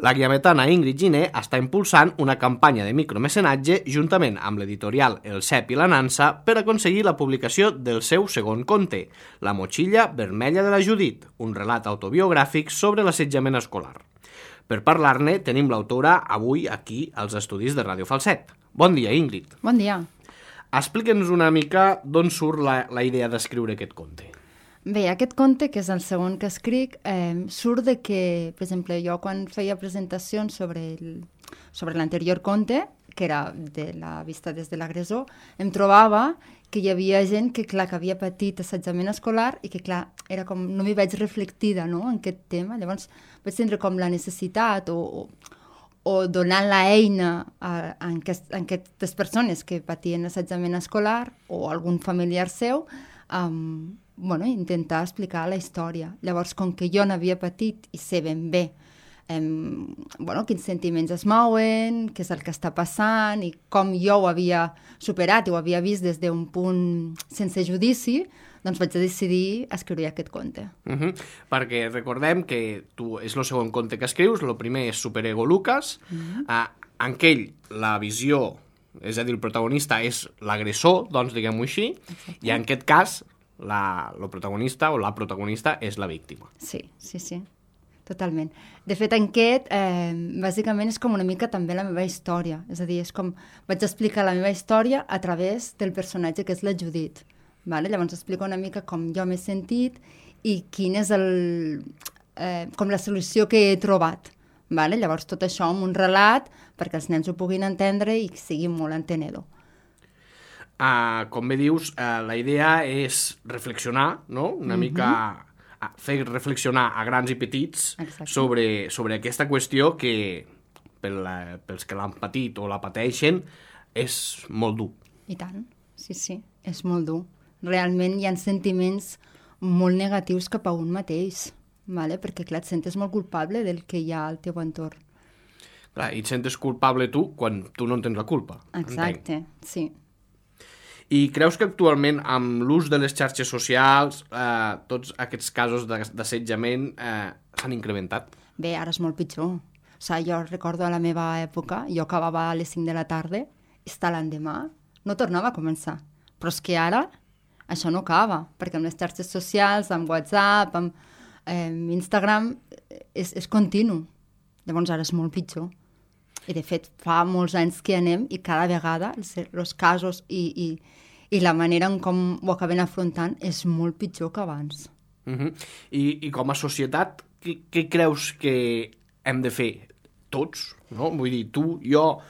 La guiametana Ingrid Giner està impulsant una campanya de micromecenatge juntament amb l'editorial El Cep i la Nansa per aconseguir la publicació del seu segon conte, La motxilla vermella de la Judit, un relat autobiogràfic sobre l'assetjament escolar. Per parlar-ne tenim l'autora avui aquí als estudis de Ràdio Falset. Bon dia, Ingrid. Bon dia. Explica'ns una mica d'on surt la idea d'escriure aquest conte. Bé, aquest conte, que és el segon que escric, surt de que, per exemple, jo quan feia presentacions sobre l'anterior conte, que era de la vista des de l'agressor, em trobava que hi havia gent que, clar, que havia patit assetjament escolar i que, clar, era com, no m'hi veig reflectida, no?, en aquest tema. Llavors vaig tindre com la necessitat o donant l'eina a aquestes persones que patien assetjament escolar o algun familiar seu, intentar explicar la història. Llavors, com que jo n'havia patit i sé ben bé quins sentiments es mouen, què és el que està passant i com jo ho havia superat i ho havia vist des d'un punt sense judici, doncs vaig decidir escriure aquest conte. Perquè recordem que tu és el segon conte que escrius, el primer és Superego Lucas, en aquell la visió, és a dir, el protagonista és l'agressor, doncs diguem-ho així, i en aquest cas el protagonista o la protagonista és la víctima. Sí, totalment. De fet, en aquest, bàsicament és com una mica també la meva història. És a dir, és com vaig explicar la meva història a través del personatge que és la Judit. Vale? Llavors explico una mica com jo m'he sentit i quin és com la solució que he trobat. Vale? Llavors tot això amb un relat perquè els nens ho puguin entendre i sigui molt entenedor. Com bé dius, la idea és reflexionar, no? Una mica fer reflexionar a grans i petits sobre aquesta qüestió que pels que l'han patit o la pateixen és molt dur. I tant, sí, és molt dur. Realment hi ha sentiments molt negatius cap a un mateix, vale? Perquè clar, et sentes molt culpable del que hi ha al teu entorn. Clar, i et sentes culpable tu quan tu no en tens la culpa. Exacte, entenc. Sí. I creus que actualment, amb l'ús de les xarxes socials, tots aquests casos d'assetjament s'han incrementat? Bé, ara és molt pitjor. O sigui, jo recordo a la meva època, jo acabava a les 5 de la tarda, i està l'endemà, no tornava a començar. Però és que ara això no acaba, perquè amb les xarxes socials, amb WhatsApp, amb Instagram, és continu. Llavors ara és molt pitjor. I de fet fa molts anys que anem i cada vegada els casos i la manera en com ho acaben afrontant és molt pitjor que abans. I com a societat, què creus que hem de fer tots? No? Vull dir, tu, jo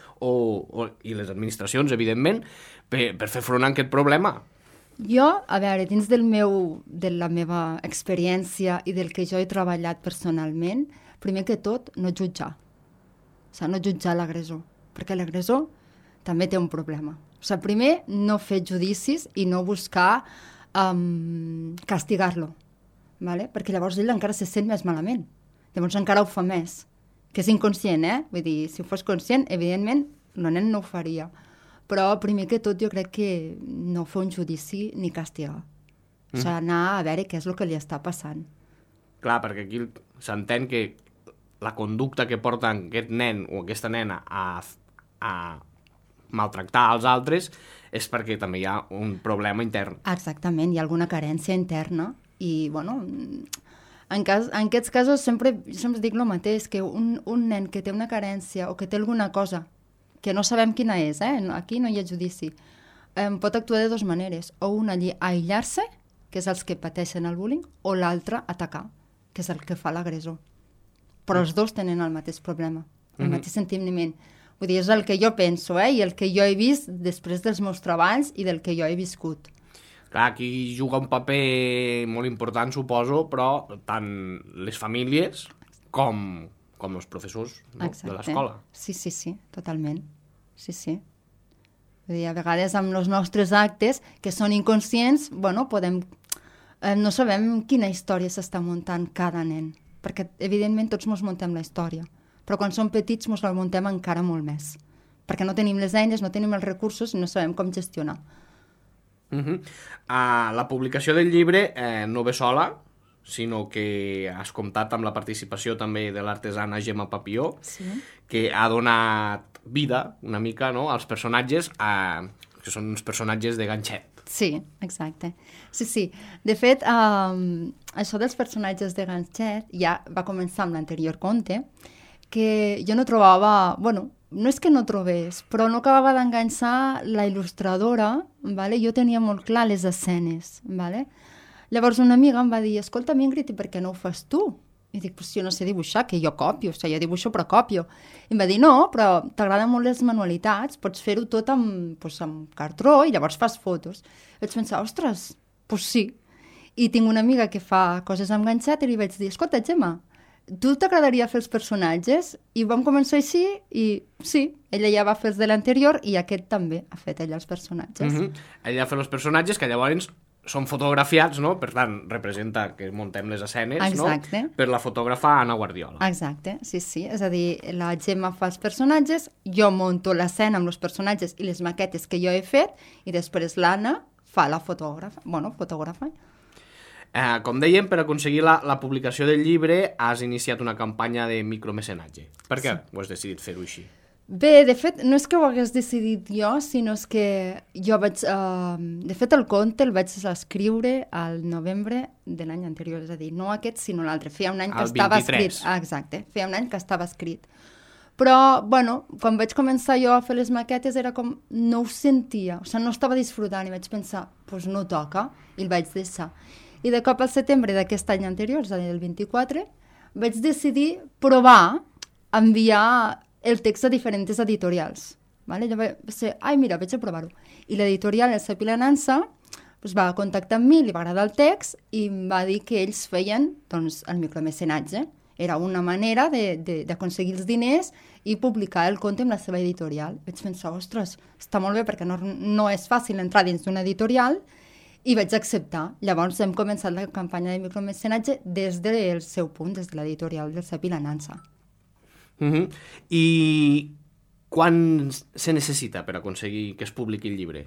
i les administracions, evidentment, per fer front a aquest problema? Jo, a veure, dins de la meva experiència i del que jo he treballat personalment, primer que tot, no jutjar. O sigui, no jutjar l'agressor, perquè l'agressor també té un problema. O sigui, primer, no fer judicis i no buscar castigar-lo, ¿vale? Perquè llavors ell encara se sent més malament. Llavors encara ho fa més, que és inconscient, Vull dir, si ho fos conscient, evidentment, el nen no ho faria. Però primer que tot jo crec que no fer un judici ni castigar. O sigui, anar a veure què és el que li està passant. Clar, perquè aquí s'entén que la conducta que porta aquest nen o aquesta nena a maltractar els altres és perquè també hi ha un problema intern. Exactament, hi ha alguna carència interna i, en aquests casos sempre dic el mateix, que un nen que té una carència o que té alguna cosa que no sabem quina és, aquí no hi ha judici, pot actuar de dues maneres, o una aïllar-se, que és els que pateixen el bullying, o l'altra atacar, que és el que fa l'agressor. Però els dos tenen el mateix problema, el mateix sentiment. Vull dir, és el que jo penso, i el que jo he vist després dels meus treballs i del que jo he viscut. Clar, aquí juga un paper molt important, suposo, però tant les famílies com els professors, no? De l'escola. Sí, totalment. Sí. Vull dir, a vegades amb els nostres actes, que són inconscients, no sabem quina història s'està muntant cada nen. Perquè, evidentment, tots ens muntem la història. Però quan som petits ens la muntem encara molt més. Perquè no tenim les eines, no tenim els recursos i no sabem com gestionar. La publicació del llibre no ve sola, sinó que has comptat amb la participació també de l'artesana Gemma Papió, Sí. que ha donat vida una mica, no?, als personatges, que són uns personatges de ganxet. Sí, exacte. Sí, sí. De fet, això dels personatges de ganxet ja va començar amb l'anterior conte, que jo no trobava... Bueno, no és que no trobés, però no acabava d'enganxar la il·lustradora, vale? Jo tenia molt clar les escenes. Vale? Llavors una amiga em va dir, escolta, Ingrid, i per què no ho fas tu? I dic, pues jo no sé dibuixar, que jo copio, o sigui, jo dibuixo però copio. I em va dir, no, però t'agraden molt les manualitats, pots fer-ho tot amb cartró i llavors fas fotos. Vaig pensar, ostres, pues sí. I tinc una amiga que fa coses amb ganxet i li vaig dir, escolta, Gemma, tu t'agradaria fer els personatges? I vam començar així i sí, ella ja va fer els de l'anterior i aquest també ha fet ella els personatges. Ella fa els personatges que llavors són fotografiats, no? Per tant, representa que muntem les escenes, Exacte. no? Per la fotògrafa Anna Guardiola. Exacte, sí, sí. És a dir, la Gemma fa els personatges, jo monto l'escena amb els personatges i les maquetes que jo he fet i després l'Anna fa la fotògrafa. Com dèiem, per aconseguir la publicació del llibre has iniciat una campanya de micromecenatge. Per què ho has decidit fer-ho així? Bé, de fet, no és que ho hagués decidit jo, sinó és que jo vaig... de fet, el conte el vaig escriure al novembre de l'any anterior, és a dir, no aquest, sinó l'altre. Feia un any que estava escrit. Exacte, feia un any que estava escrit. Però, bueno, quan vaig començar jo a fer les maquetes era com... no ho sentia, o sigui, no estava disfrutant i vaig pensar, doncs no toca, i el vaig deixar. I de cop al setembre d'aquest any anterior, és a dir, el 24, vaig decidir provar enviar el text a diferents editorials. Vale? Jo vaig dir, mira, vaig a provar-ho. I l'editorial, el Cep i la Nansa, doncs va contactar amb mi, li va agradar el text i em va dir que ells feien doncs, el micromecenatge. Era una manera d'aconseguir els diners i publicar el conte amb la seva editorial. Vaig pensar, ostres, està molt bé perquè no és fàcil entrar dins d'una editorial i vaig acceptar. Llavors hem començat la campanya de micromecenatge des del seu punt, des de l'editorial del Cep i la Nansa. I quan se necessita per aconseguir que es publiqui el llibre?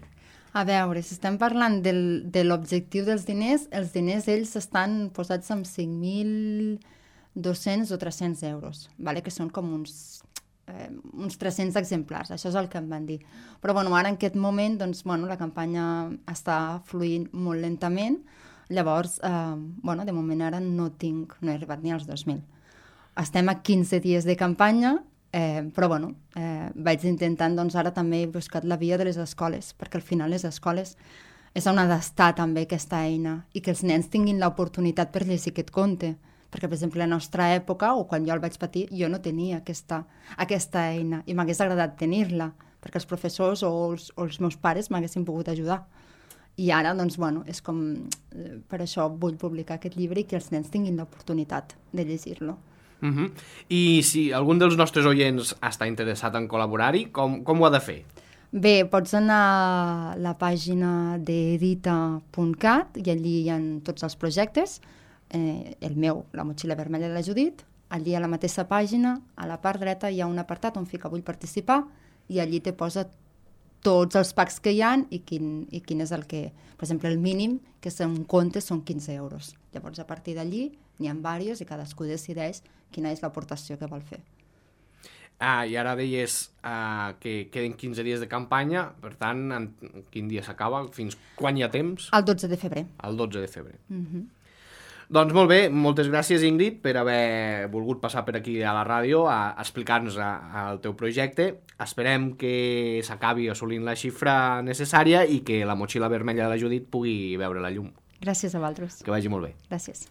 A veure, si estem parlant de l'objectiu dels diners, els diners ells estan posats amb 5.200 o 300 euros, vale? Que són com uns 300 exemplars, això és el que em van dir. Però bueno, ara en aquest moment doncs, la campanya està fluint molt lentament, llavors de moment ara no he arribat ni als 2.000. Estem a 15 dies de campanya, però vaig intentant, doncs ara també he buscat la via de les escoles, perquè al final les escoles és on ha d'estar també aquesta eina i que els nens tinguin l'oportunitat per llegir aquest conte. Perquè, per exemple, a la nostra època, o quan jo el vaig patir, jo no tenia aquesta eina i m'hagués agradat tenir-la, perquè els professors o els meus pares m'haguessin pogut ajudar. I ara, doncs, és com... Per això vull publicar aquest llibre i que els nens tinguin l'oportunitat de llegir-lo. I si algun dels nostres oients està interessat en col·laborar-hi, com ho ha de fer? Bé, pots anar a la pàgina d'edita.cat i allí hi ha tots els projectes. El meu, la motxilla vermella de la Judit, allí a la mateixa pàgina, a la part dreta hi ha un apartat on fica vull participar i allí te posa tots els packs que hi ha i quin és el que... Per exemple, el mínim, que és un conte, són 15 euros. Llavors, a partir d'allí, n'hi ha diversos i cadascú decideix quina és l'aportació que vol fer. I ara deies que queden 15 dies de campanya, per tant, quin dia s'acaba? Fins quan hi ha temps? El 12 de febrer. El 12 de febrer. Doncs molt bé, moltes gràcies, Ingrid, per haver volgut passar per aquí a la ràdio a explicar-nos el teu projecte. Esperem que s'acabi assolint la xifra necessària i que la motxilla vermella de la Judit pugui veure la llum. Gràcies a vosaltres. Que vagi molt bé. Gràcies.